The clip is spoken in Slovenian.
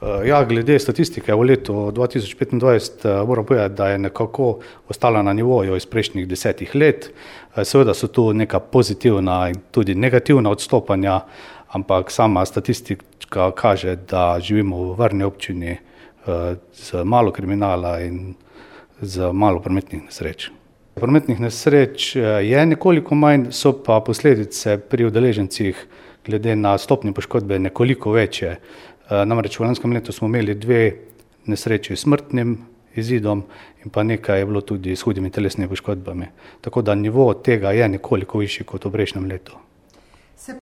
Ja, glede statistike v letu 2025 moram povedati, da je nekako ostala na nivoju iz prejšnjih 10 let. Seveda so tu neka pozitivna in tudi negativna odstopanja, ampak sama statistika kaže, da živimo v varni občini z malo kriminala in z malo prometnih nesreč. Prometnih nesreč je nekoliko manj, so pa posledice pri udeležencih glede na stopnjo poškodbe nekoliko večje. Namreč v lanskem letu smo imeli 2 nesreči s smrtnim izidom in pa nekaj je bilo tudi s hudimi telesnimi poškodbami. Tako da nivo tega je nekoliko višji kot v prejšnjem letu.